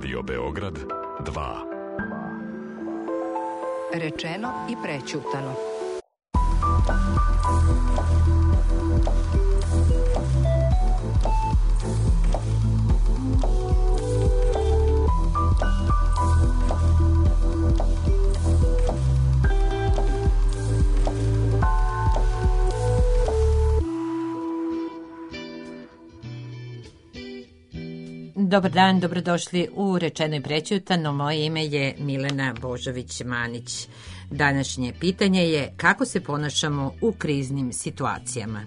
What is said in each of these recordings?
Radio Beograd 2. Rečeno i prećutano. Dobar dan, dobrodošli u Rečeno i prećutano. Moje ime je Milena Božović-Manić. Današnje pitanje je kako se ponašamo u kriznim situacijama.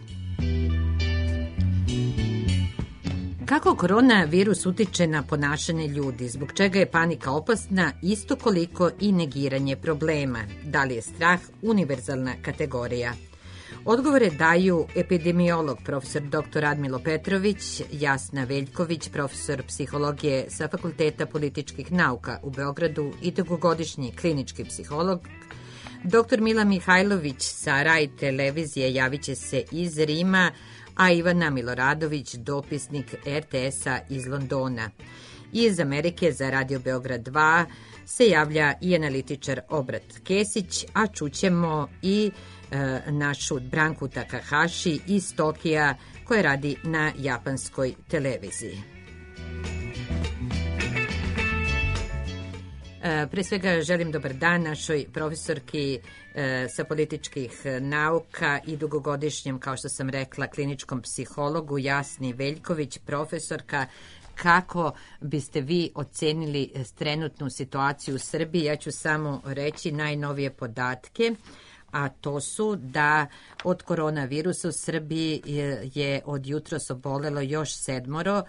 Kako koronavirus utiče na ponašanje ljudi? Zbog čega je panika opasna isto koliko i negiranje problema? Da li je strah univerzalna kategorija? Odgovore daju epidemiolog profesor dr. Radmilo Petrović, Jasna Veljković, profesor psihologije sa Fakulteta političkih nauka u Beogradu i dugogodišnji klinički psiholog, dr. Mila Mihajlović sa RAI televizije javit će se iz Rima, a Ivana Miloradović, dopisnik RTS-a iz Londona. Iz Amerike za Radio Beograd 2 se javlja i analitičar Obrat Kesić, a čućemo i našu Branku Takahashi iz Tokija koja radi na japanskoj televiziji. Pre svega želim dobar dan našoj profesorki sa političkih nauka i dugogodišnjem, kao što sam rekla, kliničkom psihologu Jasni Veljković, profesorka. Kako biste vi ocenili trenutnu situaciju u Srbiji? Ja ću samo reći najnovije podatke, a to su da od koronavirusa u Srbiji je od jutros obolelo još 7,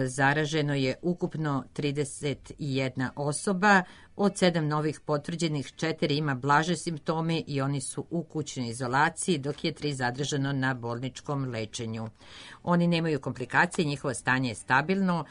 zaraženo je ukupno 31 osoba, od 7 novih potvrđenih 4 ima blaže simptome i oni su u kućnoj izolaciji, dok je 3 zadržano na bolničkom lečenju. Oni nemaju komplikacije, njihovo stanje je stabilno,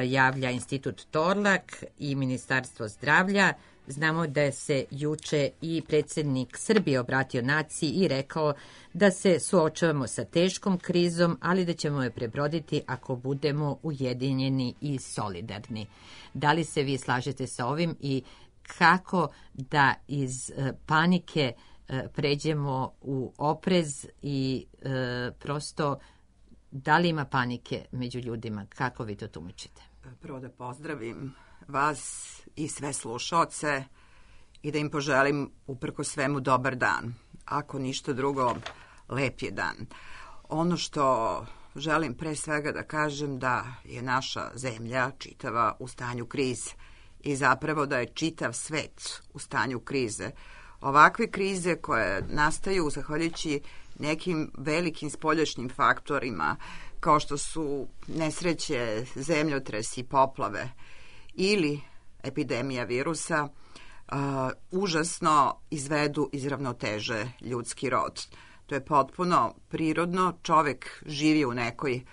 javlja Institut Torlak i Ministarstvo zdravlja. Znamo da se juče i predsjednik Srbije obratio naciji i rekao da se suočavamo sa teškom krizom, ali da ćemo je prebroditi ako budemo ujedinjeni i solidarni. Da li se vi slažete sa ovim i kako da iz panike pređemo u oprez i prosto da li ima panike među ljudima? Kako vi to tumačite? Prvo da pozdravim vas i sve slušaoce i da im poželim uprko svemu dobar dan. Ako ništa drugo, lep je dan. Ono što želim pre svega da kažem da je naša zemlja čitava u stanju krize i zapravo da je čitav svet u stanju krize. Ovakve krize koje nastaju zahvaljujući nekim velikim spoljašnjim faktorima kao što su nesreće, zemljotresi, poplave ili epidemija virusa, užasno izvedu iz ravnoteže ljudski rod. To je potpuno prirodno, čovek živi u nekoj,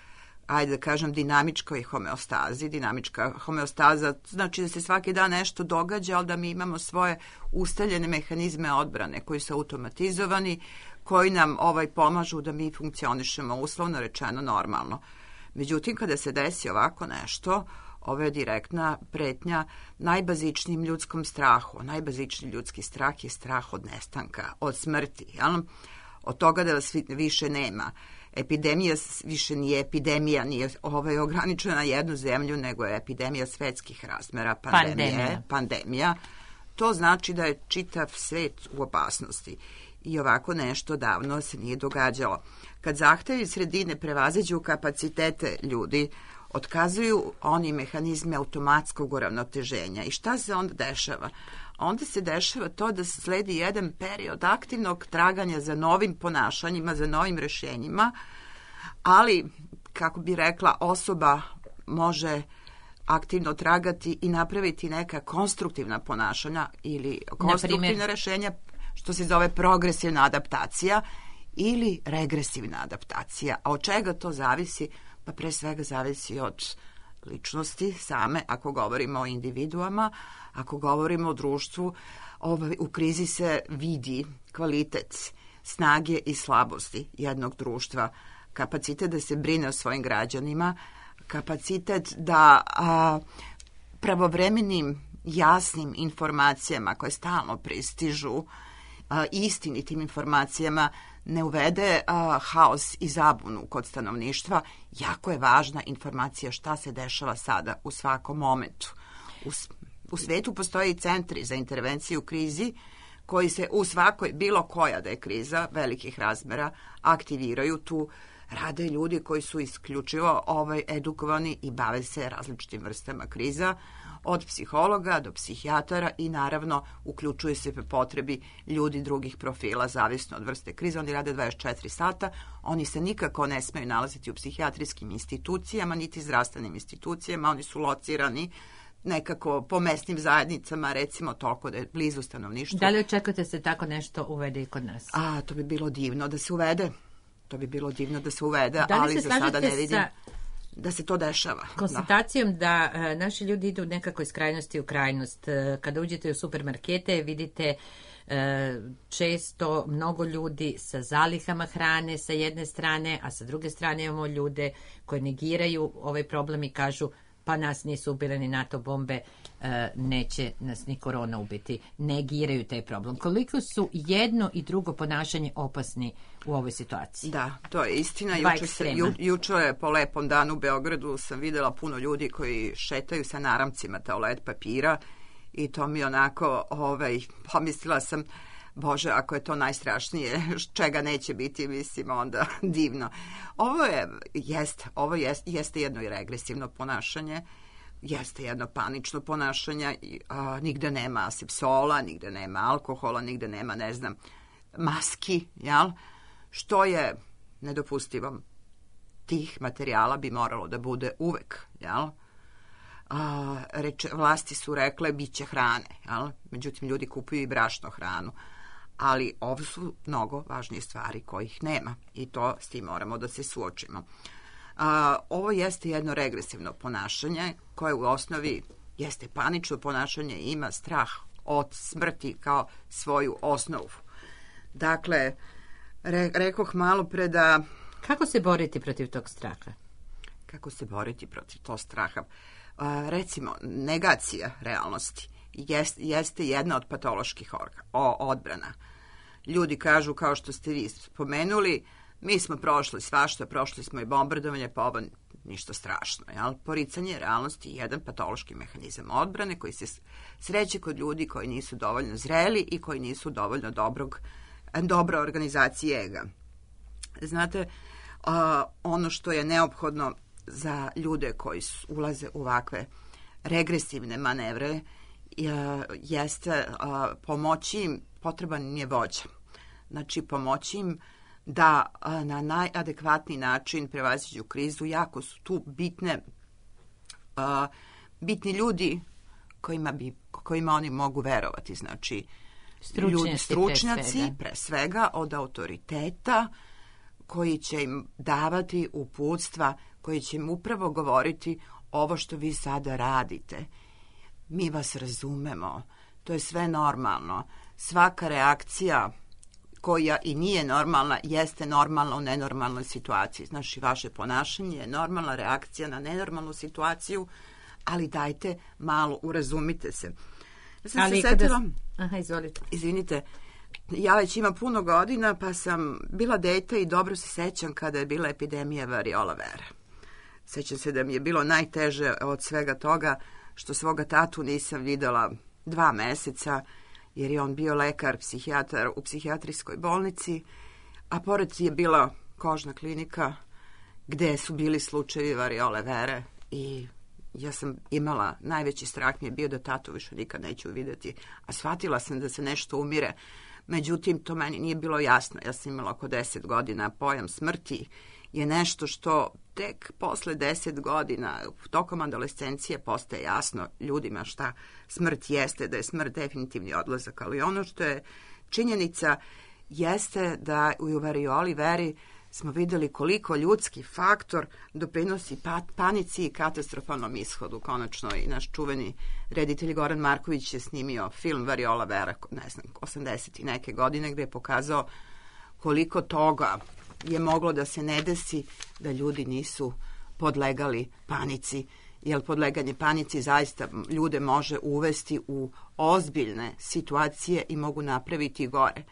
ajde da kažem, dinamičkoj homeostazi. Dinamička homeostaza znači da se svaki dan nešto događa, ali da mi imamo svoje ustaljene mehanizme odbrane koji su automatizovani, koji nam pomažu da mi funkcionišemo uslovno rečeno normalno. Međutim, kada se desi ovako nešto, ovo je direktna pretnja najbazičnijim ljudskom strahu. Najbazičniji ljudski strah je strah od nestanka, od smrti, jel? Od toga da vas više nema. Epidemija više nije epidemija, nije ograničena na jednu zemlju, nego je epidemija svetskih razmera, pandemija. To znači da je čitav svet u opasnosti. I ovako nešto davno se nije događalo. Kad zahtevi sredine prevaziđu kapacitete ljudi, otkazuju oni mehanizme automatskog uravnoteženja. I šta se onda dešava? Onda se dešava to da sledi jedan period aktivnog traganja za novim ponašanjima, za novim rešenjima, ali, kako bi rekla, osoba može aktivno tragati i napraviti neka konstruktivna ponašanja ili konstruktivna rešenja, što se zove progresivna adaptacija ili regresivna adaptacija. A od čega to zavisi? Pa pre svega zavisi od ličnosti same, ako govorimo o individuama, ako govorimo o društvu, u krizi se vidi kvalitet snage i slabosti jednog društva, kapacitet da se brine o svojim građanima, kapacitet da pravovremenim, jasnim informacijama koje stalno pristižu, istinitim informacijama, ne uvede haos i zabunu kod stanovništva, jako je važna informacija šta se dešava sada u svakom momentu. U svetu postoje i centri za intervenciju u krizi koji se u svakoj, bilo koja da je kriza velikih razmera, aktiviraju. Tu rade ljudi koji su isključivo edukovani i bave se različitim vrstama kriza, od psihologa do psihijatara i naravno uključuje se po potrebi ljudi drugih profila, zavisno od vrste krize. Oni rade 24 sata, oni se nikako ne smeju nalaziti u psihijatrijskim institucijama, niti zdravstvenim institucijama, oni su locirani nekako po mesnim zajednicama, recimo toliko da je blizu stanovništvu. Da li očekujete se tako nešto uvede i kod nas? To bi bilo divno da se uvede. Ali za sada ne vidim da se to dešava. Konstatacijom da naši ljudi idu nekako iz krajnosti u krajnost. Kada uđete u supermarkete vidite često mnogo ljudi sa zalihama hrane sa jedne strane, a sa druge strane imamo ljude koji negiraju ovaj problem i kažu pa nas nisu ubile ni NATO bombe, neće nas ni korona ubiti. Negiraju taj problem. Koliko su jedno i drugo ponašanje opasni u ovoj situaciji? Da, to je istina. Juče po lepom danu u Beogradu sam videla puno ljudi koji šetaju sa naramcima toalet papira i to mi onako, pomislila sam, Bože, ako je to najstrašnije, čega neće biti, mislim, onda divno. Ovo jeste jedno i regresivno ponašanje, jeste jedno panično ponašanje, nigde nema asepsola, nigde nema alkohola, nigde nema, ne znam, maski, jel? Što je nedopustivo. Tih materijala bi moralo da bude uvek, jel? Vlasti su rekle bit će hrane, jel? Međutim, ljudi kupuju i brašno hranu. Ali ovo su mnogo važnije stvari kojih nema i to s tim moramo da se suočimo. Ovo jeste jedno regresivno ponašanje koje u osnovi jeste panično ponašanje i ima strah od smrti kao svoju osnovu. Dakle, rekoh malo pre da... Kako se boriti protiv tog straha? Kako se boriti protiv tog straha? Recimo, negacija realnosti jeste jedna od patoloških odbrana. Ljudi kažu, kao što ste vi spomenuli, mi smo prošli svašta, prošli smo i bombardovanje, pa ovo ništa strašno. Jel? Poricanje realnosti je jedan patološki mehanizam odbrane koji se sreće kod ljudi koji nisu dovoljno zreli i koji nisu dovoljno dobra organizacija ega. Znate, ono što je neophodno za ljude koji ulaze u ovakve regresivne manevre jeste pomoći im, potreban je vođa. Znači, pomoći im da na najadekvatniji način prevaziđu krizu. Jako su tu bitni ljudi kojima oni mogu verovati. Znači, stručnjaci pre svega od autoriteta koji će im davati uputstva, koji će im upravo govoriti ovo što vi sada radite. Mi vas razumemo, to je sve normalno. Svaka reakcija koja i nije normalna, jeste normalna u nenormalnoj situaciji. Znači, vaše ponašanje je normalna reakcija na nenormalnu situaciju, ali dajte malo, urazumite se. Ja sam se setila... Izvolite. Izvinite, ja već imam puno godina, pa sam bila dete i dobro se sećam kada je bila epidemija variola vere. Sećam se da mi je bilo najteže od svega toga što svoga tatu nisam videla 2 meseca, jer je on bio lekar, psihijatar u psihijatrijskoj bolnici, a pored je bila kožna klinika gde su bili slučajevi variole vere i ja sam imala, najveći strah mi je bio da tatu više nikad neću vidjeti, a shvatila sam da se nešto umire. Međutim, to meni nije bilo jasno. Ja sam imala oko 10 godina, pojam smrti je nešto što tek posle 10 godina, tokom adolescencije, postaje jasno ljudima šta smrt jeste, da je smrt definitivni odlazak. Ali ono što je činjenica jeste da u varioli veri smo videli koliko ljudski faktor doprinosi panici i katastrofalnom ishodu. Konačno i naš čuveni reditelj Goran Marković je snimio film Variola vera, ne znam, 80 i neke godine, gde je pokazao koliko toga je moglo da se ne desi da ljudi nisu podlegali panici jer podleganje panici zaista ljude može uvesti u ozbiljne situacije i mogu napraviti gore.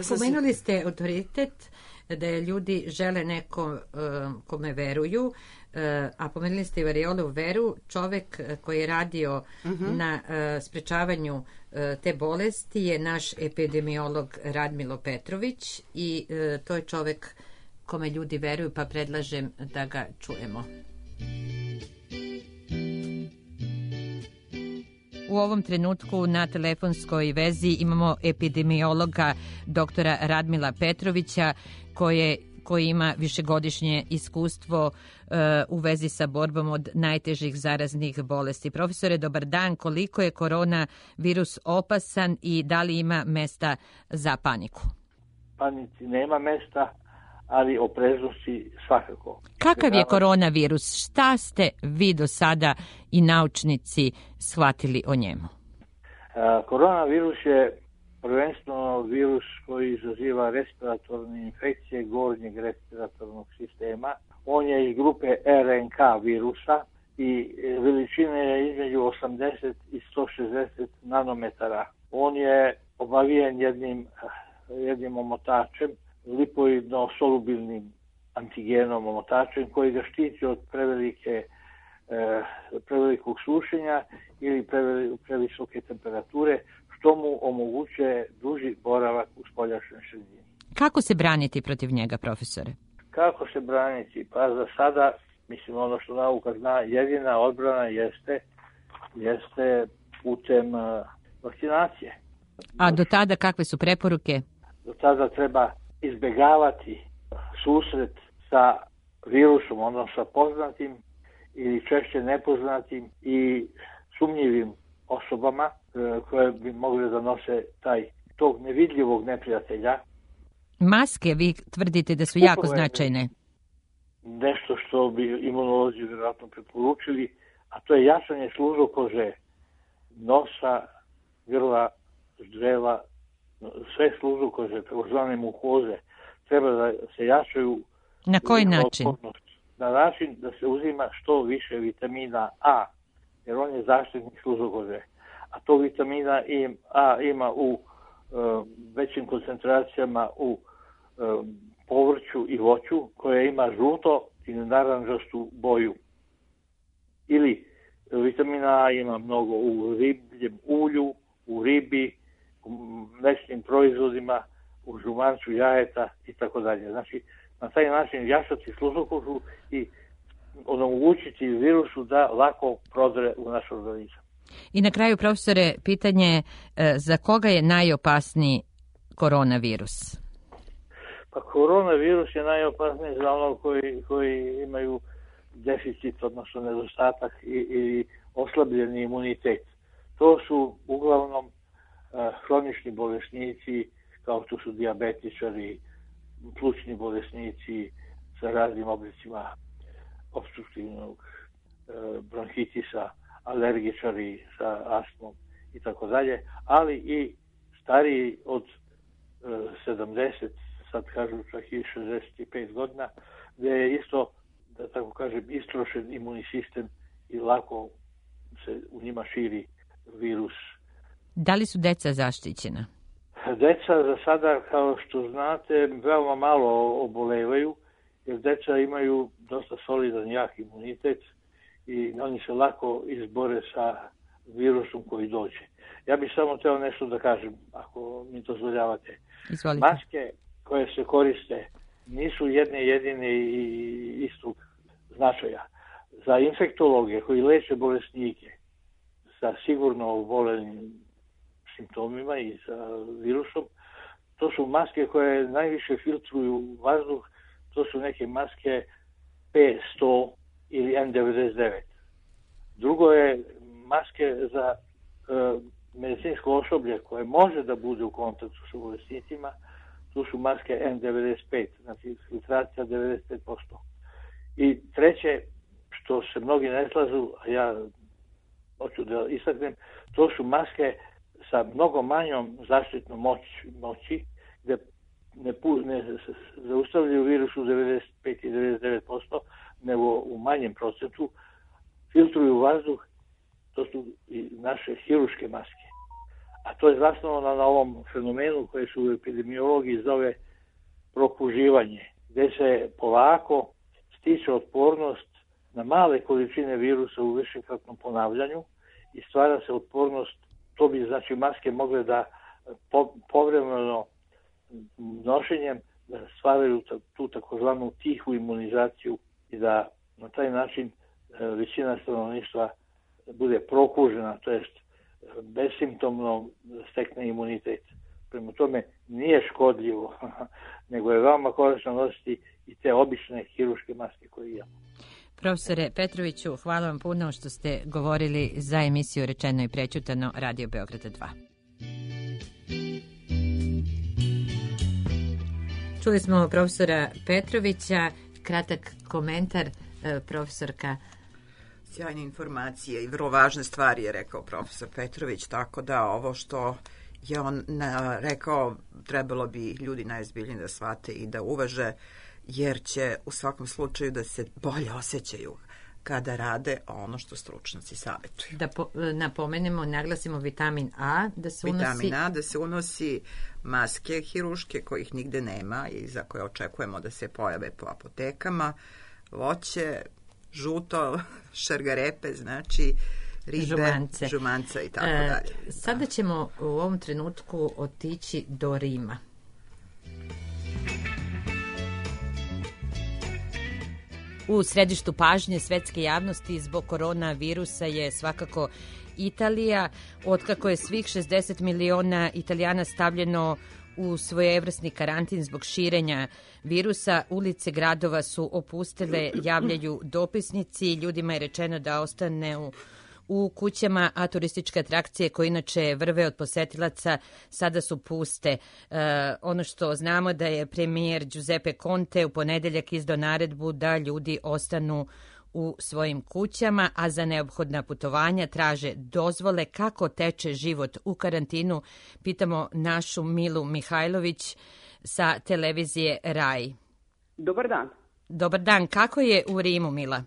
Pomenuli ste autoritet, da ljudi žele neko kome veruju, a pomenuli ste i Variolovu veru. Čovek koji je radio na sprečavanju te bolesti je naš epidemiolog Radmilo Petrović i to je čovek kome ljudi veruju, pa predlažem da ga čujemo. U ovom trenutku na telefonskoj vezi imamo epidemiologa doktora Radmila Petrovića koji ima višegodišnje iskustvo u vezi sa borbom od najtežih zaraznih bolesti. Profesore, dobar dan. Koliko je koronavirus opasan i da li ima mesta za paniku? Panici nema mesta, ali opreznosti svakako. Kakav je koronavirus? Šta ste vi do sada i naučnici shvatili o njemu? Koronavirus je prvenstveno virus koji izaziva respiratorne infekcije gornjeg respiratornog sistema. On je iz grupe RNK virusa i veličine je između 80 i 160 nanometara. On je obavijen jednim omotačem, lipoidno-solubilnim antigenom omotačem koji ga štiti od prevelikog sušenja ili previsoke temperature, što mu omogućuje duži boravak u spoljašnjoj sredini. Kako se braniti protiv njega, profesore? Kako se braniti? Pa za sada, mislim, ono što nauka zna, jedina odbrana jeste putem vakcinacije. A do tada kakve su preporuke? Do tada treba izbjegavati susret sa virusom, odnosno sa poznatim ili češće nepoznatim i sumnjivim osobama koje bi mogli da nose tog nevidljivog neprijatelja. Maske, vi tvrdite da su jako značajne. Nešto što bi imunolozi vjerojatno preporučili, a to je jačanje služokože, nosa, grla, ždrela, sve služokože, takozvane mukoze, treba da se jačaju. Na koji način? Na način da se uzima što više vitamina A, jer on je zaštitnik služokože. A to vitamina A ima u većim koncentracijama u povrću i voću, koje ima žuto ili naranđastu boju. Ili vitamina A ima mnogo u ribljem ulju, u ribi, u mlečnim proizvodima, u žumancu jajeta i tako dalje. Znači, na taj način jačati služokožu i omogućiti virusu da lako prodre u naš organizam. I na kraju, profesore, pitanje za koga je najopasniji koronavirus? Pa koronavirus je najopasniji za ono koji imaju deficit, odnosno nedostatak i oslabljeni imunitet. To su uglavnom hronični bolesnici, kao što su dijabetičari, plućni bolesnici sa raznim oblicima opstruktivnog bronhitisa, alergičari sa astmom i tako dalje, ali i stariji od 70, sad kažu čak i 65 godina, gdje je isto, da tako kažem, istrošen imunni sistem i lako se u njima širi virus. Da li su deca zaštićena? Deca za sada, kao što znate, veoma malo obolevaju, jer deca imaju dosta solidan, jak imunitet i oni se lako izbore sa virusom koji dođe. Ja bih samo htio nešto da kažem, ako mi dozvoljavate. Izvolite. Maske koje se koriste nisu jedine i istog značaja. Za infektologe koji leče bolesnike sa sigurno obolenim simptomima i sa virusom, to su maske koje najviše filtruju vazduh, to su neke maske P100 ili N99. Drugo je maske za medicinsko osoblje koje može da bude u kontaktu sa bolesnicima, tu su maske N95, znači filtracija 95%. I treće, što se mnogi ne slažu, a ja hoću da istaknem, to su maske sa mnogo manjom zaštitnom moći, gde ne zaustavljaju virus u 95 i 99%, nego u manjem procentu filtruju vazduh, to su i naše hiruške maske. A to je zasnovano na ovom fenomenu koje se u epidemiologiji zove prokuživanje, gde se polako stiče otpornost na male količine virusa u višekratnom ponavljanju i stvara se otpornost, to bi znači maske mogle da povremeno nošenjem da stvaraju tu takozvanu tihu imunizaciju i da na taj način većina stanovništva bude prokužena, to jest besimptomno stekne imunitet. Prema tome nije škodljivo, nego je veoma korisno nositi i te obične hiruške maske koje imamo. Profesore Petroviću, hvala vam puno što ste govorili za emisiju Rečeno i prećutano Radio Beograda 2. Čuli smo profesora Petrovića, kratak komentar profesorka. Sjajne informacije i vrlo važne stvari je rekao profesor Petrović, tako da ovo što je on rekao trebalo bi ljudi najozbiljnije da shvate i da uvaže, jer će u svakom slučaju da se bolje osjećaju kada rade ono što stručnjaci savjetuju. Da napomenemo, naglasimo vitamin A, da se unosi... Vitamin A, da se unosi maske hiruške kojih nigde nema i za koje očekujemo da se pojave po apotekama, voće, žuto, šargarepe, znači ribe, žumance i tako dalje. Sada ćemo u ovom trenutku otići do Rima. U središtu pažnje svetske javnosti zbog koronavirusa je svakako Italija, otkako je svih 60 miliona Italijana stavljeno u svojevrsni karantin zbog širenja virusa. Ulice gradova su opustele, javljaju dopisnici, ljudima je rečeno da ostane u kućama, a turističke atrakcije koje inače vrve od posetilaca sada su puste. Ono što znamo da je premijer Giuseppe Conte u ponedeljak izdao naredbu da ljudi ostanu u svojim kućama, a za neophodna putovanja traže dozvole. Kako teče život u karantinu? Pitamo našu Milu Mihajlović sa televizije RAI. Dobar dan. Dobar dan. Kako je u Rimu, Mila?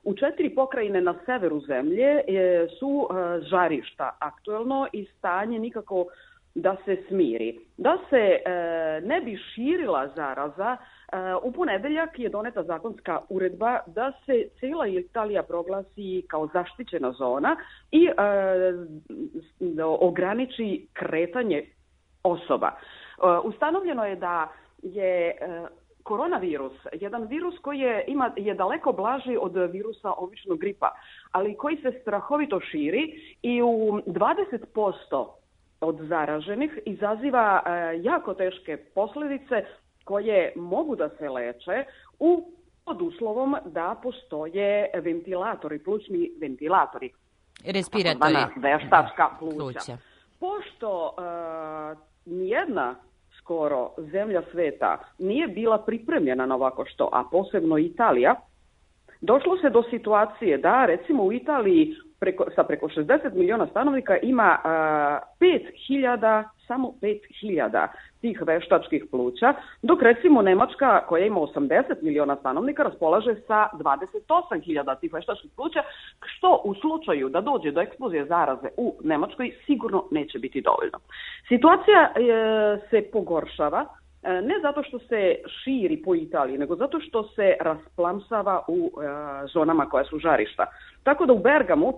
U 4 pokrajine na severu zemlje su žarišta aktuelno i stanje nikako da se smiri. Da se ne bi širila zaraza, u ponedeljak je doneta zakonska uredba da se cijela Italija proglasi kao zaštićena zona i ograniči kretanje osoba. Ustanovljeno je da je koronavirus jedan virus koji je daleko blaži od virusa običnog gripa, ali koji se strahovito širi i u 20% od zaraženih izaziva jako teške posljedice koje mogu da se leče pod uslovom da postoje ventilatori, plućni ventilatori. Respiratori. Veštačka pluća. Pošto nijedna skoro zemlja sveta nije bila pripremljena na ovako što, a posebno Italija, došlo se do situacije da recimo u Italiji sa preko 60 miliona stanovnika ima 5.000, samo 5.000 tih veštačkih pluća, dok recimo Nemačka koja ima 80 miliona stanovnika raspolaže sa 28.000 tih veštačkih pluća, što u slučaju da dođe do eksplozije zaraze u Nemačkoj sigurno neće biti dovoljno. Situacija se pogoršava ne zato što se širi po Italiji, nego zato što se rasplamsava u zonama koja su žarišta. Tako da u Bergamu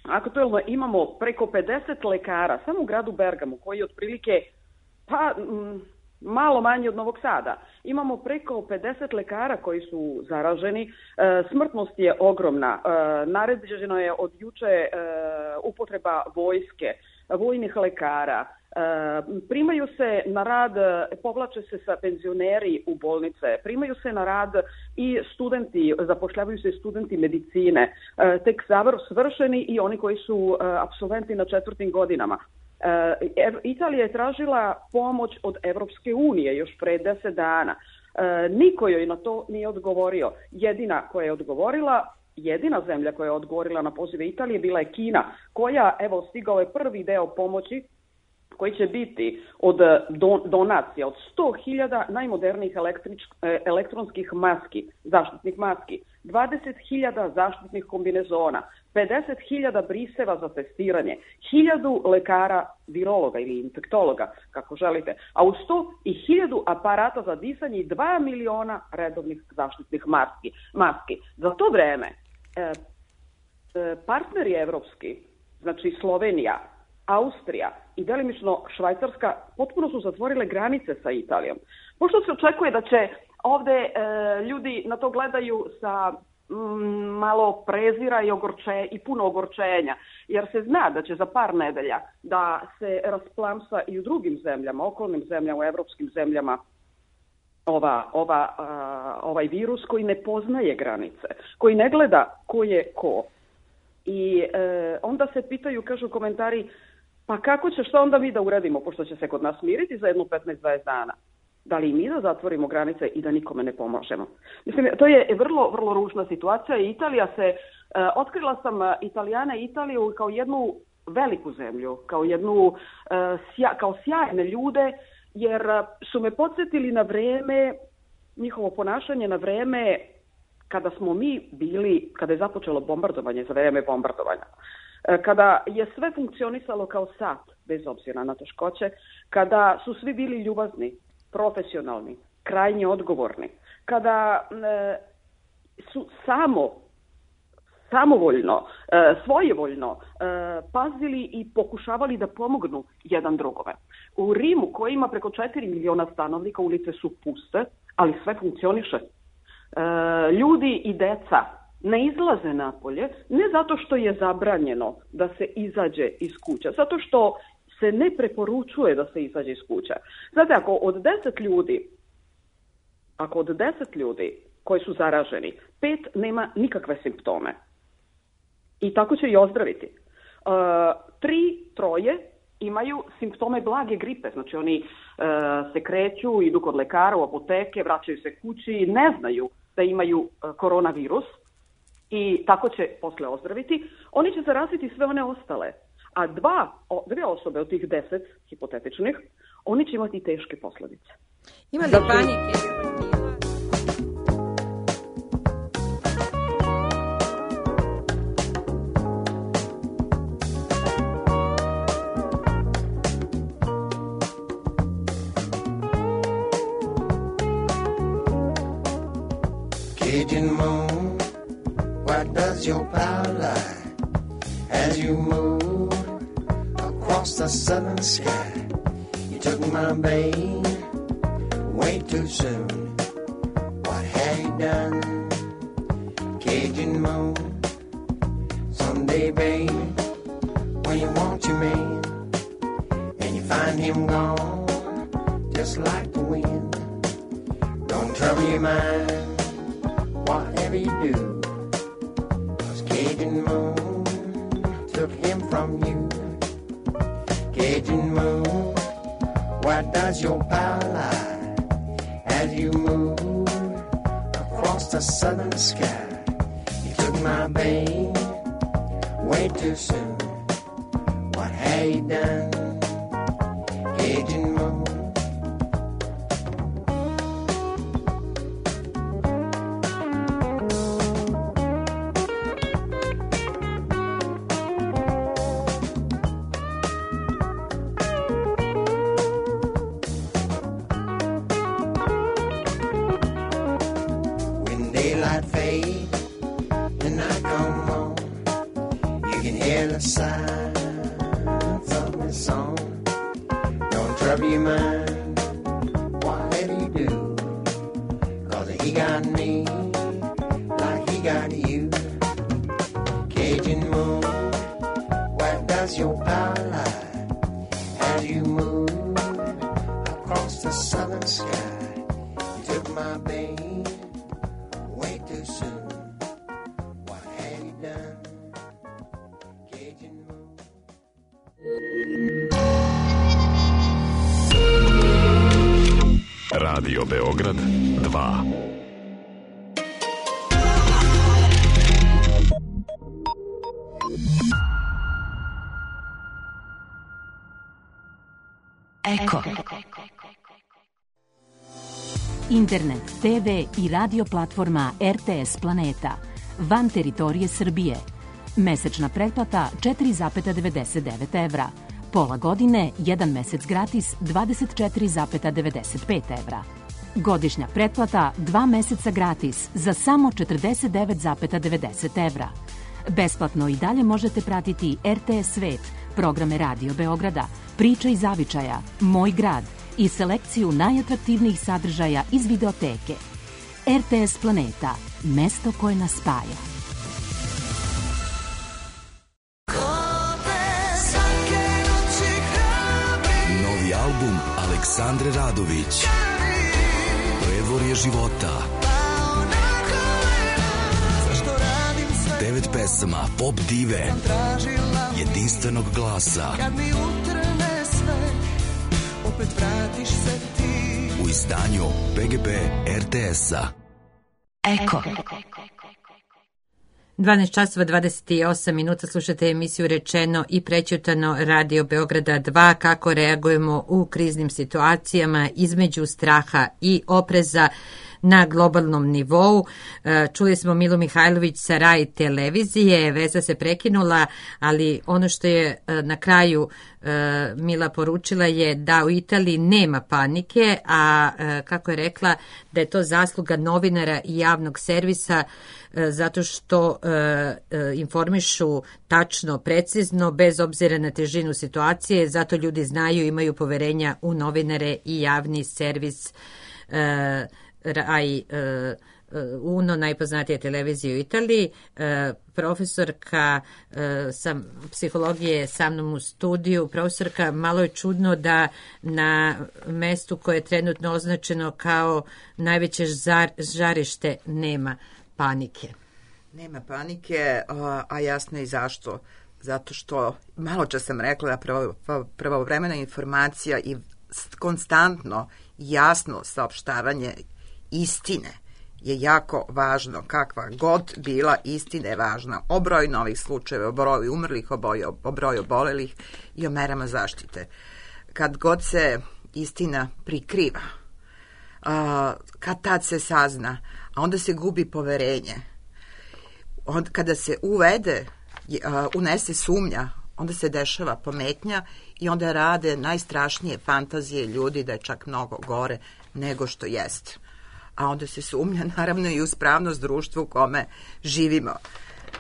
aktuelno imamo preko 50 lekara, samo u gradu Bergamu, koji je otprilike malo manje od Novog Sada. Imamo preko 50 lekara koji su zaraženi, smrtnost je ogromna, naređeno je od juče upotreba vojske, vojnih lekara, primaju se na rad, povlače se sa penzioneri u bolnice, primaju se na rad i studenti, zapošljavaju se studenti medicine, tek svršeni i oni koji su apsolventi na 4. godinama. Italija je tražila pomoć od Evropske unije još pre 10 dana. Niko joj na to nije odgovorio. Jedina zemlja koja je odgovorila na pozive Italije bila je Kina, koja, evo, stigao je prvi deo pomoći koji će biti od donacija od 100.000 najmodernijih elektronskih maski, zaštitnih maski, 20.000 zaštitnih kombinezona, 50.000 briseva za testiranje, 1.000 lekara, virologa ili infektologa, kako želite, a uz to i 1.000 aparata za disanje i 2 miliona redovnih zaštitnih maski. Za to vreme partneri evropski, znači Slovenija, Austrija i delimično Švajcarska potpuno su zatvorile granice sa Italijom. Pošto se očekuje da će ovde ljudi na to gledaju sa malo prezira i puno ogorčenja, jer se zna da će za par nedelja da se rasplamsa i u drugim zemljama, okolnim zemljama, u evropskim zemljama ovaj virus koji ne poznaje granice, koji ne gleda ko je ko. I onda se pitaju, kažu komentari, pa kako će, što onda mi da uradimo, pošto će se kod nas miriti za jedno 15-20 dana? Da li mi da zatvorimo granice i da nikome ne pomožemo? Mislim, to je vrlo, vrlo ružna situacija i Italija se, otkrila sam Italijane i Italiju kao jednu veliku zemlju, kao sjajne ljude, jer su me podsjetili na vreme, njihovo ponašanje na vreme kada smo mi bili, kada je započelo bombardovanje, za vreme bombardovanja, kada je sve funkcionisalo kao sat, bez obzira na teškoće, kada su svi bili ljubazni, profesionalni, krajnje odgovorni, kada su samovoljno, svojevoljno pazili i pokušavali da pomognu jedan drugome. U Rimu, koji ima preko 4 miliona stanovnika, ulice su puste, ali sve funkcioniše. Ljudi i deca ne izlaze napolje, ne zato što je zabranjeno da se izađe iz kuća, zato što se ne preporučuje da se izađe iz kuća. Znate, ako od 10 ljudi koji su zaraženi, 5 nema nikakve simptome. I tako će i ozdraviti. 3 imaju simptome blage gripe, znači oni se kreću, idu kod lekara, u apoteke, vraćaju se kući, ne znaju da imaju koronavirus i tako će posle ozdraviti. Oni će zaraziti sve one ostale, a dve osobe od tih 10 hipotetičnih, oni će imati teške posledice. Ima li panike? Cajun moon, where does your power lie as you move across the southern sky? You took my babe way too soon. What have you done, Cajun moon? Someday, babe, when you want your man and you find him gone, just like the wind, don't trouble your mind. Whatever you do, 'cause Cajun moon took him from you. Cajun moon, where does your power lie as you move across the southern sky? You took my babe way too soon. What have you done, Cajun moon? Radio Beograd 2. Eko. Internet, TV i radio platforma RTS Planeta. Van teritorije Srbije. Mesečna pretplata 4,99 evra. Pola godine, 1 mesec gratis 24,95 evra. Godišnja pretplata 2 meseca gratis za samo 49,90 evra. Besplatno i dalje možete pratiti RTS Svet, programe Radio Beograda, Priča iz zavičaja, Moj grad i selekciju najatraktivnijih sadržaja iz videoteke. RTS Planeta, mesto koje nas spaja. Novi album Aleksandre Radović, Predvorje života. 9 pesama pop dive, jedinstvenog glasa. U izdanju PGP RTS-a. Eko. 12 časova 28 minuta slušate emisiju Rečeno i prećutano Radio Beograda 2, kako reagujemo u kriznim situacijama između straha i opreza na globalnom nivou. Čuli smo Milu Mihajlović sa Rai televizije, veza se prekinula, ali ono što je na kraju Mila poručila je da u Italiji nema panike, a kako je rekla da je to zasluga novinara i javnog servisa zato što informišu tačno, precizno, bez obzira na težinu situacije, zato ljudi znaju, imaju poverenja u novinare i javni servis Rai Uno, najpoznatija televizija u Italiji. Profesorka psihologije sa mnom u studiju. Profesorka, malo je čudno da na mestu koje je trenutno označeno kao najveće žarište nema panike. Nema panike, a jasno i zašto. Zato što, malo čas sam rekla, pravovremena informacija i konstantno jasno saopštavanje istine je jako važno. Kakva god bila, istina je važna. O broju novih slučajeva, o broju umrlih, o broju obolelih i o merama zaštite. Kad god se istina prikriva, kad tad se sazna, a onda se gubi poverenje. Kada se unese sumnja, onda se dešava pometnja i onda rade najstrašnije fantazije ljudi da je čak mnogo gore nego što jeste. A onda se sumnja naravno i u spravnost društva u kome živimo.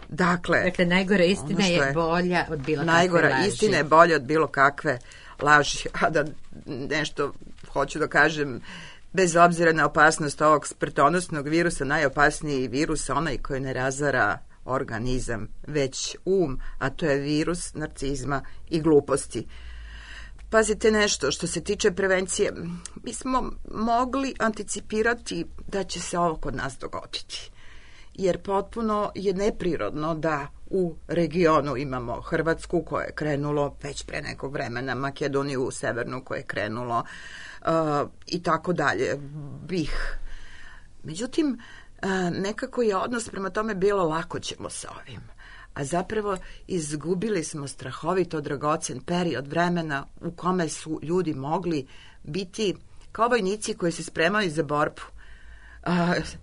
Dakle, najgora istina je bolja od bilo kakve najgora laži. Istina je bolja od bilo kakve laži. A da nešto hoću da kažem, bez obzira na opasnost ovog smrtonosnog virusa, najopasniji virus, onaj koji ne razara organizam, već a to je virus narcizma i gluposti. Pazite nešto, što se tiče prevencije, mi smo mogli anticipirati da će se ovo kod nas dogoditi. Jer potpuno je neprirodno da u regionu imamo Hrvatsku koja je krenulo već pre nekog vremena, Makedoniju severnu koja je krenulo i tako dalje, BiH. Međutim, nekako je odnos prema tome bilo lako ćemo sa ovim. A zapravo izgubili smo strahovito dragocen period vremena u kome su ljudi mogli biti kao vojnici koji se spremaju za borbu.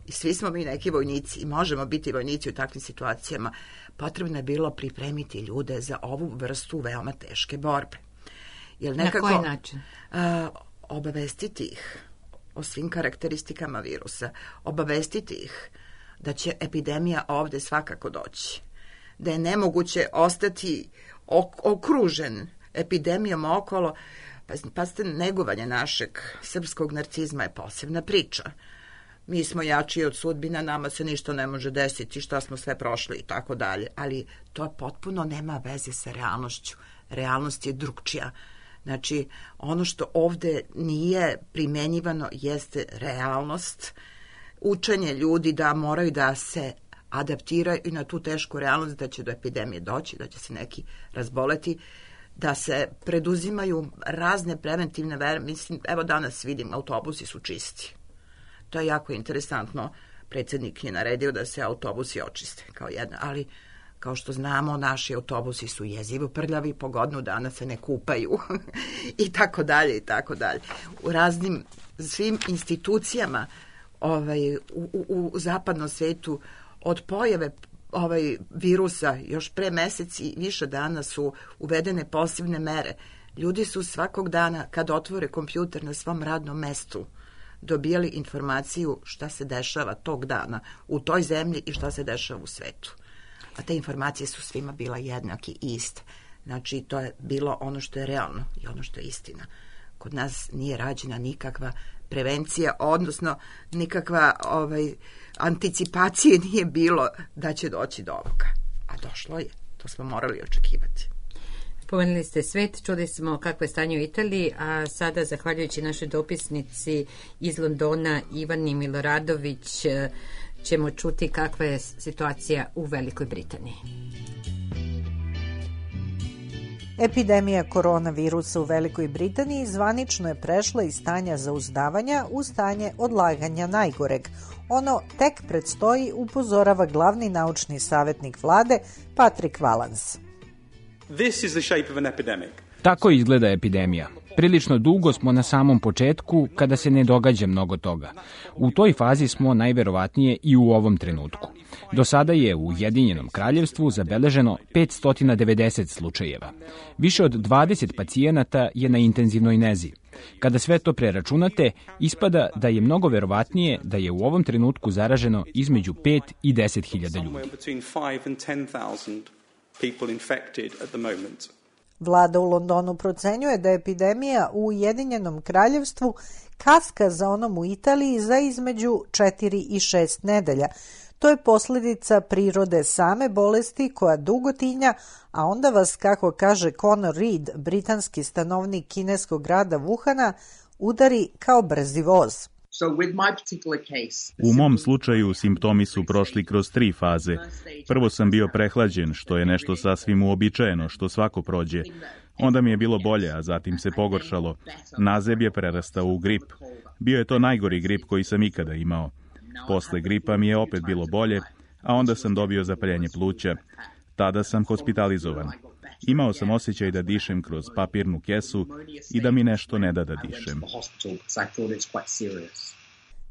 I svi smo mi neki vojnici i možemo biti vojnici u takvim situacijama. Potrebno je bilo pripremiti ljude za ovu vrstu veoma teške borbe. Na koji način? Obavestiti ih o svim karakteristikama virusa, obavestiti ih da će epidemija ovde svakako doći, da je nemoguće ostati okružen epidemijom okolo. Pazite, negovanje našeg srpskog narcizma je posebna priča. Mi smo jači od sudbina, nama se ništa ne može desiti, šta smo sve prošli i tako dalje, ali to potpuno nema veze sa realnošću. Realnost je drugčija. Znači, ono što ovde nije primenjivano jeste realnost, učenje ljudi da moraju da se adaptiraju i na tu tešku realnost da će do epidemije doći, da će se neki razboleti, da se preduzimaju razne preventivne mere. Mislim, evo danas vidim, autobusi su čisti. To je jako interesantno. Predsjednik je naredio da se autobusi očiste kao Kao što znamo, naši autobusi su jezivo prljavi, po godinu dana se ne kupaju i tako dalje i tako dalje. U raznim svim institucijama u zapadnom svetu od pojave virusa još pre mesec i više dana su uvedene posebne mere. Ljudi su svakog dana, kad otvore kompjuter na svom radnom mestu, dobijali informaciju šta se dešava tog dana u toj zemlji i šta se dešava u svetu. A te informacije su svima bila jednake i iste. Znači, to je bilo ono što je realno i ono što je istina. Kod nas nije rađena nikakva prevencija, odnosno nikakva anticipacije nije bilo da će doći do ovoga. A došlo je. To smo morali očekivati. Pomenuli ste svet, čuli smo kakvo je stanje u Italiji, a sada, zahvaljujući našoj dopisnici iz Londona, Ivani Miloradović, ćemo čuti kakva je situacija u Velikoj Britaniji. Epidemija koronavirusa u Velikoj Britaniji zvanično je prešla iz stanja zauzdavanja u stanje odlaganja najgoreg. Ono tek predstoji, upozorava glavni naučni savjetnik vlade Patrick Vallance. This is the shape of an epidemic. Tako izgleda epidemija. Prilično dugo smo na samom početku kada se ne događa mnogo toga. U toj fazi smo najverovatnije i u ovom trenutku. Do sada je u Ujedinjenom kraljevstvu zabeleženo 590 slučajeva. Više od 20 pacijenata je na intenzivnoj nezi. Kada sve to preračunate, ispada da je mnogo verovatnije da je u ovom trenutku zaraženo između 5 i 10.000 ljudi. Vlada u Londonu procenjuje da epidemija u Ujedinjenom kraljevstvu kaska za onom u Italiji za između 4 i 6 nedelja. To je posljedica prirode same bolesti koja dugo tinja, a onda vas, kako kaže Conor Reed, britanski stanovnik kineskog grada Wuhana, udari kao brzi voz. U mom slučaju simptomi su prošli kroz 3 faze. Prvo sam bio prehlađen, što je nešto sasvim uobičajeno, što svako prođe. Onda mi je bilo bolje, a zatim se pogoršalo. Nazeb je prerastao u grip. Bio je to najgori grip koji sam ikada imao. Posle gripa mi je opet bilo bolje, a onda sam dobio zapaljenje pluća. Tada sam hospitalizovan. Imao sam osjećaj da dišem kroz papirnu kesu i da mi nešto ne da dišem.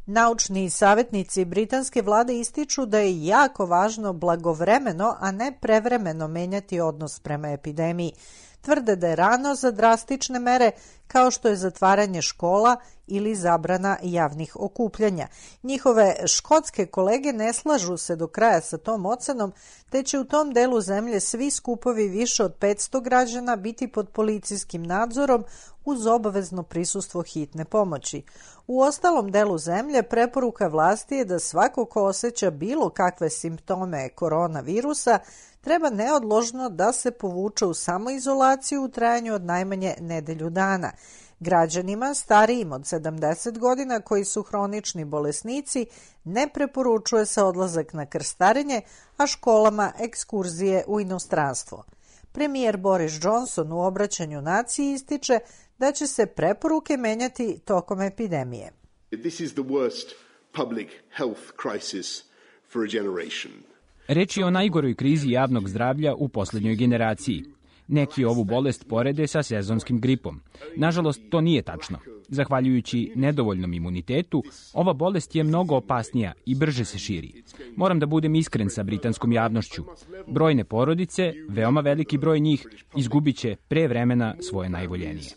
Naučni savjetnici britanske vlade ističu da je jako važno blagovremeno, a ne prevremeno menjati odnos prema epidemiji. Tvrde da je rano za drastične mere kao što je zatvaranje škola ili zabrana javnih okupljanja. Njihove škotske kolege ne slažu se do kraja sa tom ocenom, te će u tom delu zemlje svi skupovi više od 500 građana biti pod policijskim nadzorom uz obavezno prisustvo hitne pomoći. U ostalom delu zemlje preporuka vlasti je da svako ko osjeća bilo kakve simptome koronavirusa treba neodložno da se povuče u samoizolaciju u trajanju od najmanje nedelju dana. Građanima starijim od 70 godina koji su hronični bolesnici ne preporučuje se odlazak na krstarenje, a školama ekskurzije u inostranstvo. Premijer Boris Johnson u obraćanju naciji ističe da će se preporuke menjati tokom epidemije. This is the worst public health crisis for a generation. Reč je o najgoroj krizi javnog zdravlja u posljednjoj generaciji. Neki ovu bolest porede sa sezonskim gripom. Nažalost, to nije tačno. Zahvaljujući nedovoljnom imunitetu, ova bolest je mnogo opasnija i brže se širi. Moram da budem iskren sa britanskom javnošću. Brojne porodice, veoma veliki broj njih, izgubit će pre vremena svoje najvoljenije.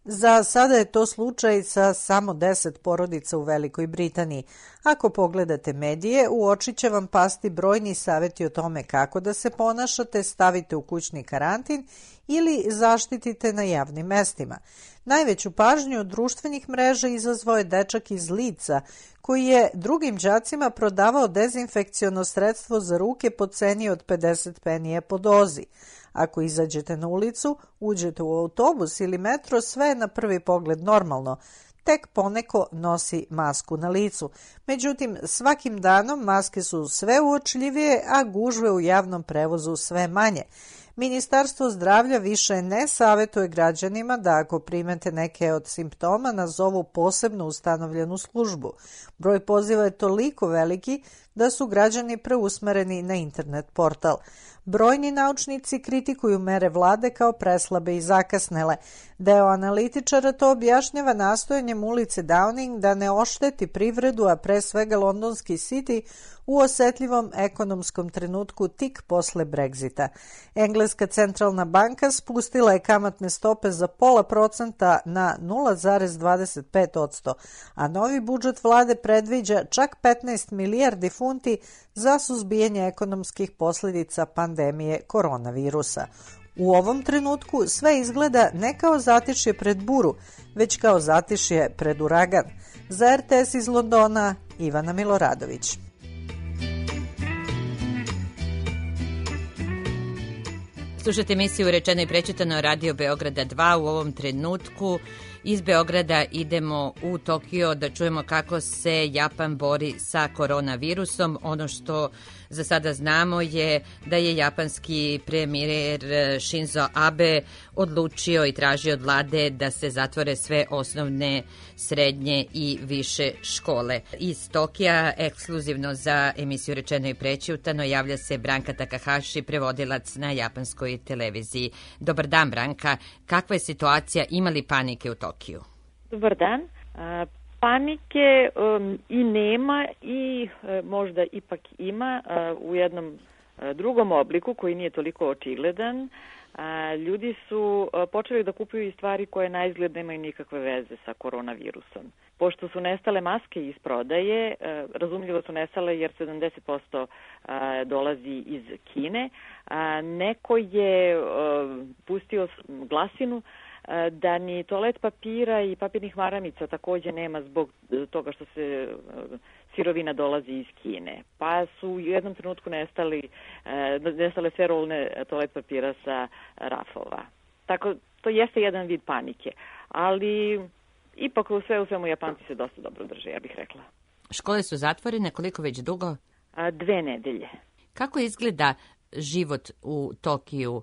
Za sada je to slučaj sa samo 10 porodica u Velikoj Britaniji. Ako pogledate medije, u oči će vam pasti brojni savjeti o tome kako da se ponašate, stavite u kućni karantin ili zaštitite na javnim mestima. Najveću pažnju od društvenih mreža izazvao je dečak iz Leedsa, koji je drugim đacima prodavao dezinfekciono sredstvo za ruke po ceni od 50 penija po dozi. Ako izađete na ulicu, uđete u autobus ili metro, sve je na prvi pogled normalno. Tek poneko nosi masku na licu. Međutim, svakim danom maske su sve uočljivije, a gužve u javnom prevozu sve manje. Ministarstvo zdravlja više ne savjetuje građanima da ako primete neke od simptoma nazovu posebno ustanovljenu službu. Broj poziva je toliko veliki da su građani preusmereni na internet portal. Brojni naučnici kritikuju mere vlade kao preslabe i zakasnele. Deo analitičara to objašnjava nastojanjem ulice Downing da ne ošteti privredu, a pre svega londonski City, u osetljivom ekonomskom trenutku tik posle Brexita. Engleska centralna banka spustila je kamatne stope za 0,5% na 0,25%, a novi budžet vlade predviđa čak 15 milijardi funti za suzbijanje ekonomskih posljedica pandemije koronavirusa. U ovom trenutku sve izgleda ne kao zatišje pred buru, već kao zatišje pred uragan. Za RTS iz Londona, Ivana Miloradović. Slušajte emisiju Rečeno i prečitano Radio Beograda 2. U ovom trenutku iz Beograda idemo u Tokio da čujemo kako se Japan bori sa koronavirusom. Ono što za sada znamo je da je japanski premijer Shinzo Abe odlučio i tražio od vlade da se zatvore sve osnovne, srednje i više škole. Iz Tokija, ekskluzivno za emisiju Rečeno i prećutano, javlja se Branka Takahashi, prevodilac na japanskoj televiziji. Dobar dan, Branka. Kakva je situacija? Ima li panike u Tokiju? Dobar dan. Panike i nema i možda ipak ima u jednom drugom obliku koji nije toliko očigledan. Ljudi su počeli da kupuju i stvari koje naizgled nemaju nikakve veze sa koronavirusom. Pošto su nestale maske iz prodaje, razumljivo su nestale jer 70% dolazi iz Kine. Neko je pustio glasinu da ni toalet papira i papirnih maramica također nema zbog toga što se sirovina dolazi iz Kine. Pa su u jednom trenutku nestale sve rolne toalet papira sa rafova. Tako, to jeste jedan vid panike, ali ipak u svemu Japanci se dosta dobro drže, ja bih rekla. Škole su zatvorene, koliko već dugo? 2 nedelje. Kako izgleda život u Tokiju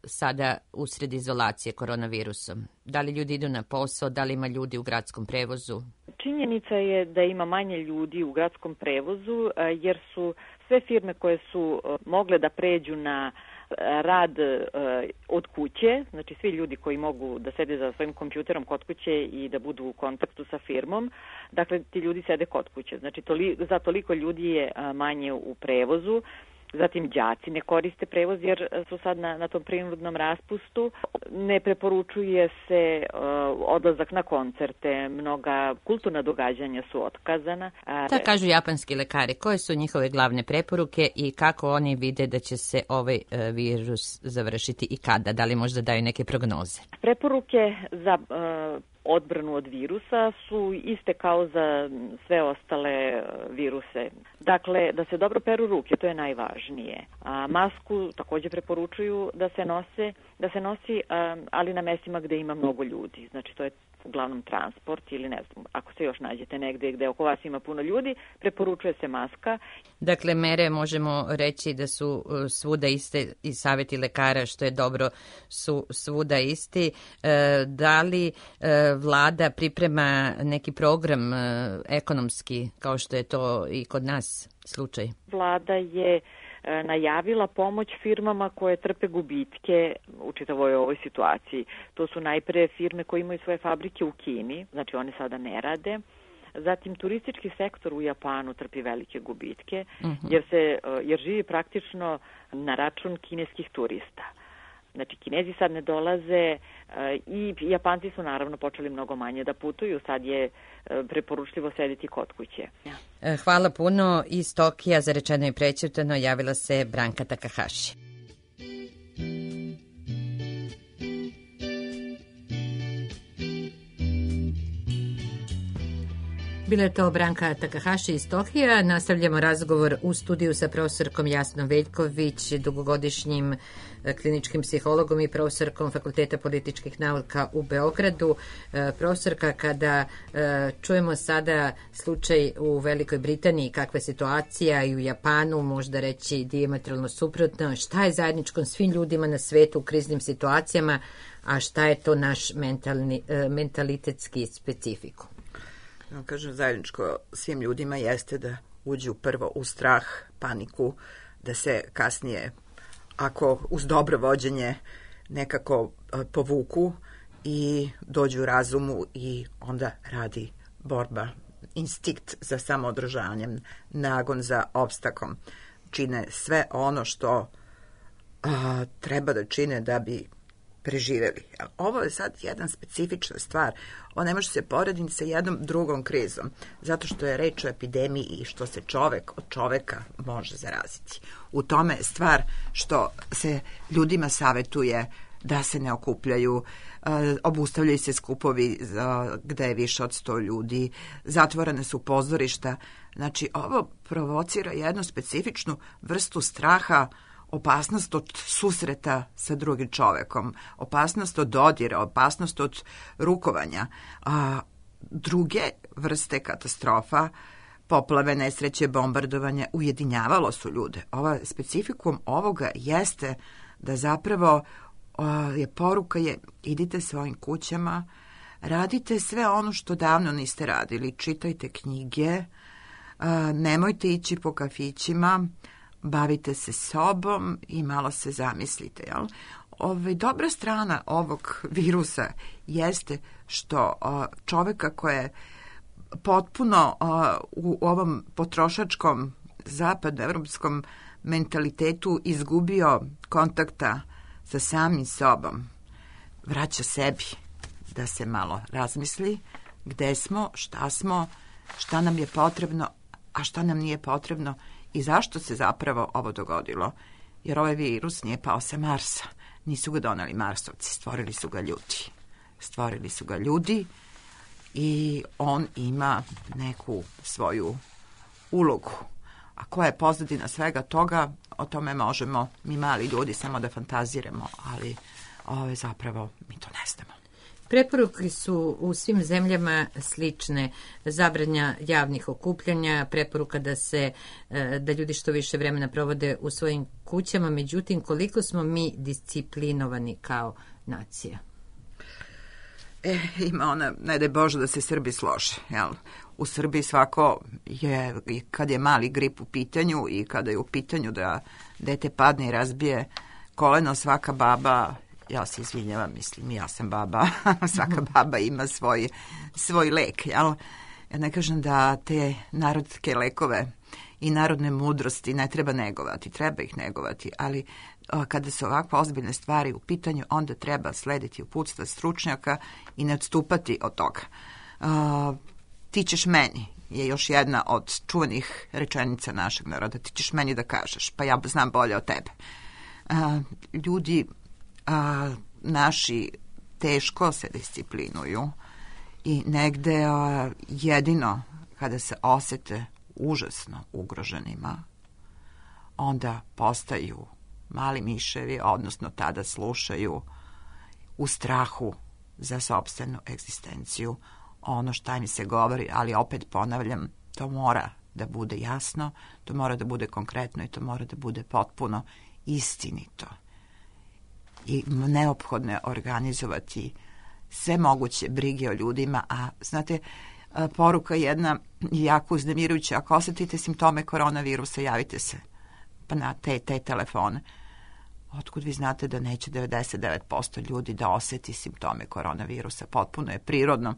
sada usred izolacije koronavirusom? Da li ljudi idu na posao, da li ima ljudi u gradskom prevozu? Činjenica je da ima manje ljudi u gradskom prevozu jer su sve firme koje su mogle da pređu na rad od kuće, znači svi ljudi koji mogu da sede za svojim kompjuterom kod kuće i da budu u kontaktu sa firmom, dakle ti ljudi sede kod kuće. Znači za toliko ljudi je manje u prevozu. Zatim đaci ne koriste prevoz jer su sad na tom prinudnom raspustu. Ne preporučuje se odlazak na koncerte, mnoga kulturna događanja su otkazana. Da kažu japanski lekari, koje su njihove glavne preporuke i kako oni vide da će se ovaj virus završiti i kada? Da li možda daju neke prognoze? Preporuke za odbranu od virusa su iste kao za sve ostale viruse. Dakle, da se dobro peru ruke, to je najvažnije. Masku također preporučuju da se nosi, ali na mjestima gdje ima mnogo ljudi. Znači, to je uglavnom transport ili ne znam, ako se još nađete negdje gdje oko vas ima puno ljudi, preporučuje se maska. Dakle, mere možemo reći da su svuda iste i savjeti lekara, što je dobro, su svuda isti. Da li vlada priprema neki program ekonomski, kao što je to i kod nas slučaj? Vlada je najavila pomoć firmama koje trpe gubitke u čitavoj ovoj situaciji. To su najpre firme koje imaju svoje fabrike u Kini, znači one sada ne rade. Zatim turistički sektor u Japanu trpi velike gubitke jer živi praktično na račun kineskih turista. Znači, Kinezi sad ne dolaze i Japanci su naravno počeli mnogo manje da putuju, sad je preporučljivo sediti kod kuće. Hvala puno. Iz Tokija za Rečeno i prećutano javila se Branka Takahashi. Bila je to Branka Takahashi iz Tokija. Nastavljamo razgovor u studiju sa profesorkom Jasnom Veljković, dugogodišnjim kliničkim psihologom i profesorkom Fakulteta političkih nauka u Beogradu. Profesorka, kada čujemo sada slučaj u Velikoj Britaniji, kakva je situacija, i u Japanu, možda reći dijametralno suprotno, šta je zajedničko svim ljudima na svetu u kriznim situacijama, a šta je to naš mentalitetski specifikum? Kažem, zajedničko svim ljudima jeste da uđu prvo u strah, paniku, da se kasnije, ako uz dobro vođenje, nekako povuku i dođu razumu i onda radi borba, instinkt za samoodržanjem, nagon za opstakom. Čine sve ono što treba da čine da bi preživeli. Ovo je sad jedna specifična stvar. Ovo ne može se porediti sa jednom drugom krizom, zato što je reč o epidemiji i što se čovek od čoveka može zaraziti. U tome je stvar što se ljudima savetuje da se ne okupljaju, obustavljaju se skupovi gde je više od 100 ljudi, zatvorene su pozorišta. Znači, ovo provocira jednu specifičnu vrstu straha, opasnost od susreta sa drugim čovekom, opasnost od dodira, opasnost od rukovanja. Druge vrste katastrofa, poplave, nesreće, bombardovanje, ujedinjavalo su ljude. Specifikum ovoga jeste da zapravo poruka je idite svojim kućama, radite sve ono što davno niste radili, čitajte knjige, nemojte ići po kafićima, bavite se sobom i malo se zamislite. Jel? Dobra strana ovog virusa jeste što čoveka koja je potpuno u ovom potrošačkom zapadnoevropskom mentalitetu izgubio kontakta sa samim sobom, vraća sebi da se malo razmisli gde smo, šta nam je potrebno, a šta nam nije potrebno i zašto se zapravo ovo dogodilo. Jer ovaj virus nije pao sa Marsa. Nisu ga doneli Marsovci, stvorili su ga ljudi i on ima neku svoju ulogu. A koja je pozadina svega toga, o tome možemo mi mali ljudi samo da fantaziramo, ali zapravo mi to ne znamo. Preporuke su u svim zemljama slične. Zabranja javnih okupljanja, preporuka da ljudi što više vremena provode u svojim kućama. Međutim, koliko smo mi disciplinovani kao nacija? Ima ona, ne daj Bože da se Srbi slože. Jel? U Srbiji svako je, kad je mali grip u pitanju i kada je u pitanju da dete padne i razbije koleno, svaka baba, ja se izvinjavam, mislim, ja sam baba, svaka baba ima svoj lek, jel? Ja ne kažem da te narodske lekove i narodne mudrosti ne treba negovati, treba ih negovati, ali kada su ovakve ozbiljne stvari u pitanju, onda treba slediti uputstva stručnjaka i ne odstupati od toga. Ti ćeš meni je još jedna od čuvanih rečenica našeg naroda, ti ćeš meni da kažeš, pa ja znam bolje od tebe. Ljudi naši teško se disciplinuju i negde jedino kada se osete užasno ugroženima, onda postaju mali miševi, odnosno tada slušaju u strahu za sopstvenu egzistenciju ono šta mi se govori, ali opet ponavljam, to mora da bude jasno, to mora da bude konkretno i to mora da bude potpuno istinito. I neophodno je organizovati sve moguće brige o ljudima, a znate, poruka jedna jako uznemirujuća, ako osetite simptome koronavirusa, javite se pa na te telefone. Otkud vi znate da neće 99% ljudi da oseti simptome koronavirusa? Potpuno je prirodno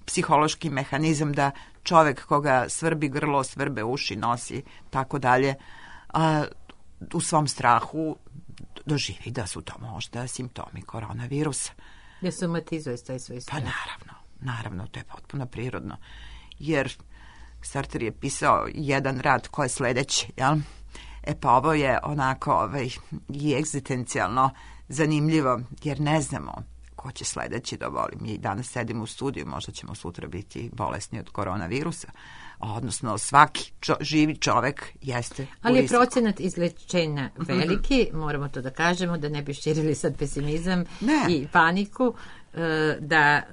psihološki mehanizam da čovek koga svrbi grlo, svrbe uši, nosi, tako dalje, u svom strahu doživi da su to možda simptomi koronavirusa. Da somatizuje taj svoj strah. Pa naravno, to je potpuno prirodno. Jer Sartre je pisao jedan rad koji je sledeći, jel? Pa ovo je onako i egzistencijalno zanimljivo, jer ne znamo ko će sledeći da oboli. Mi danas sedimo u studiju, možda ćemo sutra biti bolesni od koronavirusa, odnosno svaki živi čovek jeste u riziku. Ali je procenat izlečenja veliki, moramo to da kažemo, da ne bi širili sad pesimizam i paniku.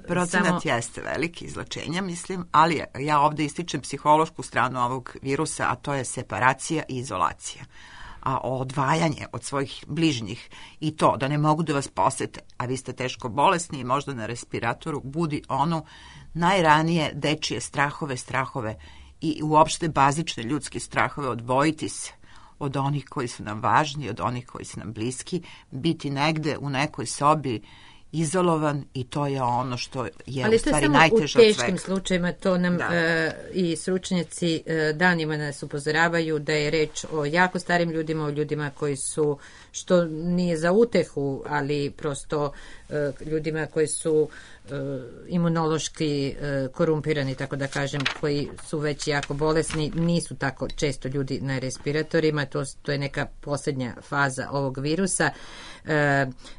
Procenat jeste veliki izlečenja, mislim, ali ja ovde ističem psihološku stranu ovog virusa, a to je separacija i izolacija. A odvajanje od svojih bližnjih i to da ne mogu da vas posete, a vi ste teško bolesni i možda na respiratoru, budi ono najranije dečije strahove i uopšte bazične ljudske strahove, odvojiti se od onih koji su nam važni, od onih koji su nam bliski, biti negde u nekoj sobi izolovan i to je ono što je u stvari najteže od svega. Ali to je samo u teškim slučajima, to nam i stručnjaci danima nas upozoravaju da je reč o jako starim ljudima, o ljudima koji su, što nije za utehu, ali prosto ljudima koji su imunološki korumpirani, tako da kažem, koji su već jako bolesni, nisu tako često ljudi na respiratorima, to je neka posljednja faza ovog virusa.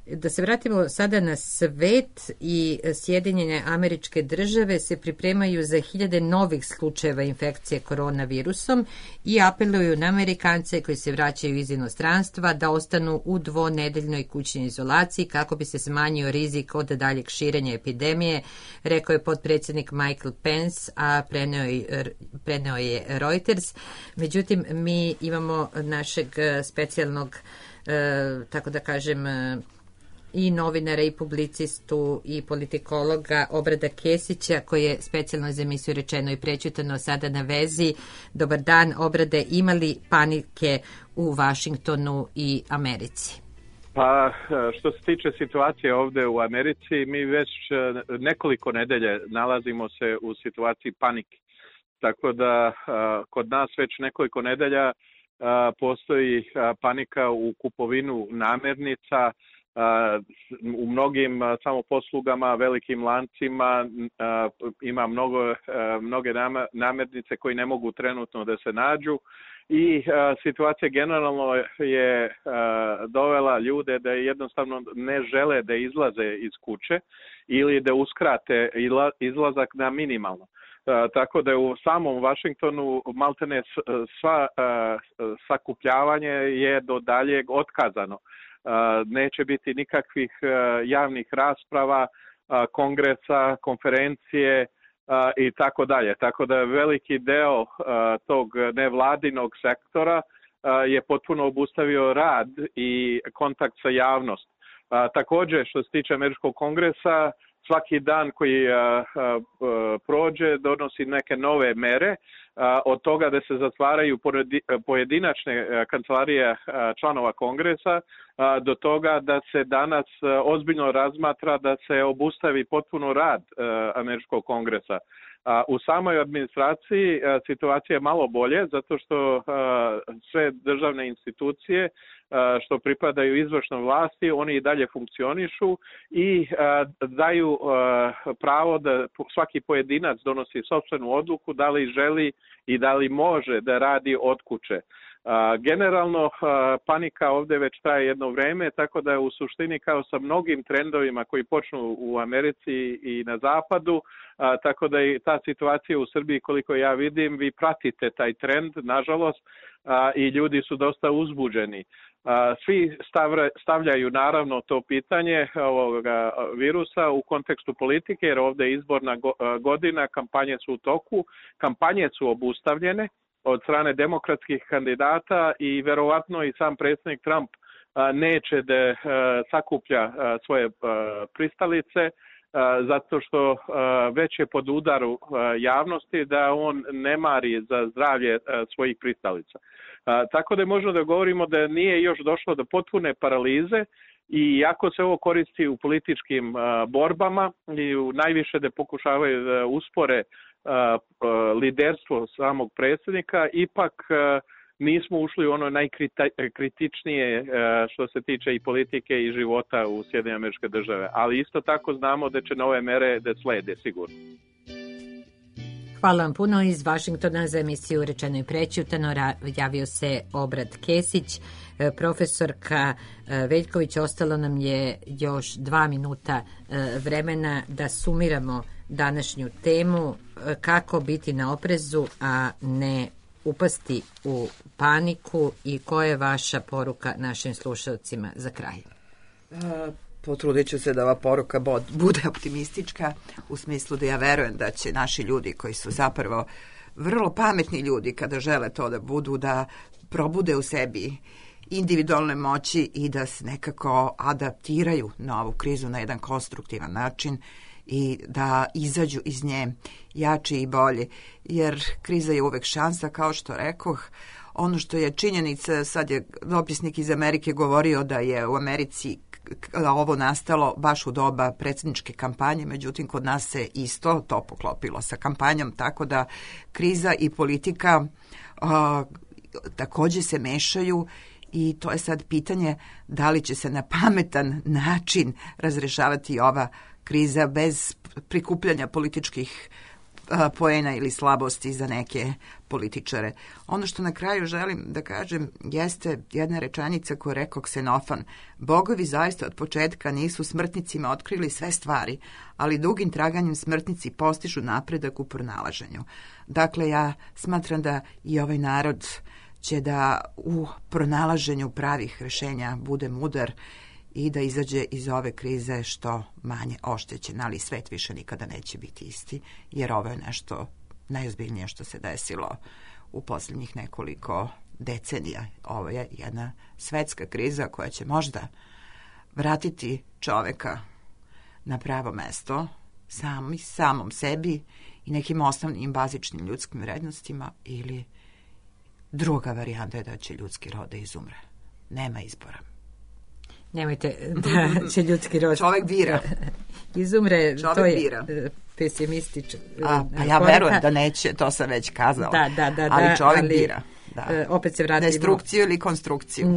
Da se vratimo sada na svet, i Sjedinjene Američke Države se pripremaju za 1000 novih slučajeva infekcije koronavirusom i apeluju na Amerikance koji se vraćaju iz inostranstva da ostanu u 2-nedeljnoj kućnoj izolaciji kako bi se smanjio rizik od daljeg širenja epidemije, rekao je potpredsjednik Michael Pence, a preneo je Reuters. Međutim, mi imamo našeg specijalnog, tako da kažem, i novinara i publicistu i politikologa Obrada Kesića, koji je specijalno za emisiju Rečeno i prećutano sada na vezi. Dobar dan, Obrade, ima li panike u Vašingtonu i Americi? Pa, što se tiče situacije ovde u Americi, mi već nekoliko nedelje nalazimo se u situaciji panike. Tako da kod nas već nekoliko nedelja postoji panika u kupovinu namirnica, u mnogim samoposlugama, velikim lancima ima mnoge namirnice koji ne mogu trenutno da se nađu i situacija generalno je dovela ljude da jednostavno ne žele da izlaze iz kuće ili da uskrate izlazak na minimalno. Tako da u samom Vašingtonu maltene sva sakupljavanje je do daljeg otkazano. Neće biti nikakvih javnih rasprava, kongresa, konferencije i tako dalje. Tako da veliki deo tog nevladinog sektora je potpuno obustavio rad i kontakt sa javnost. Također, što se tiče Američkog kongresa, svaki dan koji prođe donosi neke nove mere, od toga da se zatvaraju pojedinačne kancelarije članova kongresa, do toga da se danas ozbiljno razmatra da se obustavi potpuno rad Američkog kongresa. U samoj administraciji situacija je malo bolje, zato što sve državne institucije što pripadaju izvršnoj vlasti, oni i dalje funkcionišu i daju pravo da svaki pojedinac donosi sopstvenu odluku da li želi i da li može da radi od kuće. Generalno, panika ovde već traje jedno vreme, tako da u suštini kao sa mnogim trendovima koji počnu u Americi i na zapadu, tako da i ta situacija u Srbiji, koliko ja vidim, vi pratite taj trend, nažalost, i ljudi su dosta uzbuđeni. Svi stavljaju naravno to pitanje ovoga virusa u kontekstu politike, jer ovde je izborna godina, kampanje su u toku, kampanje su obustavljene od strane demokratskih kandidata i verovatno i sam predsjednik Trump neće da sakuplja svoje pristalice zato što već je pod udaru javnosti da on ne mari za zdravlje svojih pristalica. Tako da možemo da govorimo da nije još došlo do potpune paralize i ako se ovo koristi u političkim borbama i najviše da pokušavaju da uspore liderstvo samog predsjednika, ipak nismo ušli u ono najkritičnije što se tiče i politike i života u Sjedinjene Američke Države. Ali isto tako znamo da će nove mere da slede sigurno. Hvala vam puno. Iz Vašingtona za emisiju Rečeno i prećutano javio se Obrad Kesić. Profesorka Veljković, ostalo nam je još 2 minuta vremena da sumiramo današnju temu, kako biti na oprezu, a ne upasti u paniku, i koja je vaša poruka našim slušalcima za kraj? Potrudit ću se da ova poruka bude optimistička, u smislu da ja verujem da će naši ljudi, koji su zapravo vrlo pametni ljudi kada žele to da budu, da probude u sebi individualne moći i da se nekako adaptiraju na ovu krizu na jedan konstruktivan način i da izađu iz nje jači i bolji, jer kriza je uvek šansa, kao što rekoh. Ono što je činjenica, sad je dopisnik iz Amerike govorio da je u Americi ovo nastalo baš u doba predsjedničke kampanje, međutim kod nas se isto to poklopilo sa kampanjom, tako da kriza i politika takođe se mešaju i to je sad pitanje da li će se na pametan način razrešavati ova kriza bez prikupljanja političkih poena ili slabosti za neke političare. Ono što na kraju želim da kažem jeste jedna rečenica koju rekao Ksenofan. Bogovi zaista od početka nisu smrtnicima otkrili sve stvari, ali dugim traganjem smrtnici postižu napredak u pronalaženju. Dakle, ja smatram da i ovaj narod će da u pronalaženju pravih rešenja bude mudar i da izađe iz ove krize što manje oštećen, ali svet više nikada neće biti isti, jer ovo je nešto najozbiljnije što se desilo u posljednjih nekoliko decenija. Ovo je jedna svetska kriza koja će možda vratiti čoveka na pravo mesto, samom sebi i nekim osnovnim bazičnim ljudskim vrednostima, ili druga varijanta je da će ljudski rod da izumre. Nema izbora. Nemojte da će ljudski rod čovek bira. Izumre, čovek to je bira. Pesimistično. Pa ja verujem da neće, to sam već kazala. Ali čovek bira. Da. Opet se vratimo destrukciju ili konstrukciju.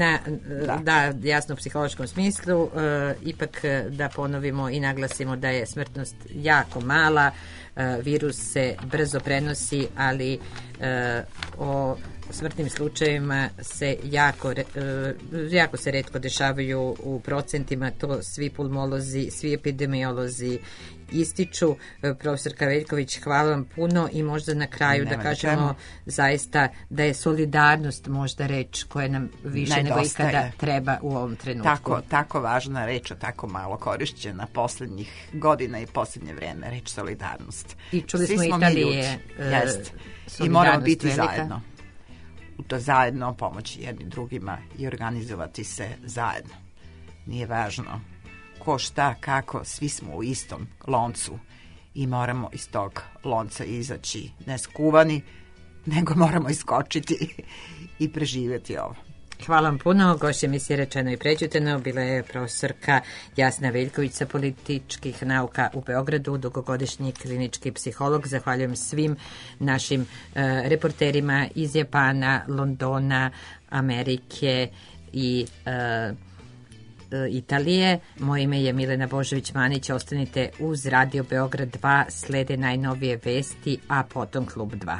Da, jasno u psihološkom smislu. Ipak da ponovimo i naglasimo da je smrtnost jako mala, virus se brzo prenosi, ali o smrtnim slučajevima se jako se retko dešavaju u procentima, to svi pulmolozi, svi epidemiolozi ističu. Profesorka Veljković, hvala vam puno i možda na kraju da kažemo zaista da je solidarnost možda reč koja nam više nego ikada treba u ovom trenutku. Tako važna reč, tako malo korišćena poslednjih godina i poslednje vreme, reč solidarnost. I čuli smo Italije. I moramo biti velika. Zajedno. U to zajedno pomoći jedni drugima i organizovati se zajedno. Nije važno ko šta, kako, svi smo u istom loncu i moramo iz tog lonca izaći ne skuvani, nego moramo iskočiti i preživjeti ovo. Hvala vam puno. Gošća emisije Rečeno i prećutano bila je profesorka Jasna Veljković sa političkih nauka u Beogradu, dugogodišnji klinički psiholog. Zahvaljujem svim našim reporterima iz Japana, Londona, Amerike i Italije. Moje ime je Milena Božović-Manić. Ostanite uz Radio Beograd 2, slede najnovije vesti, a potom Klub 2.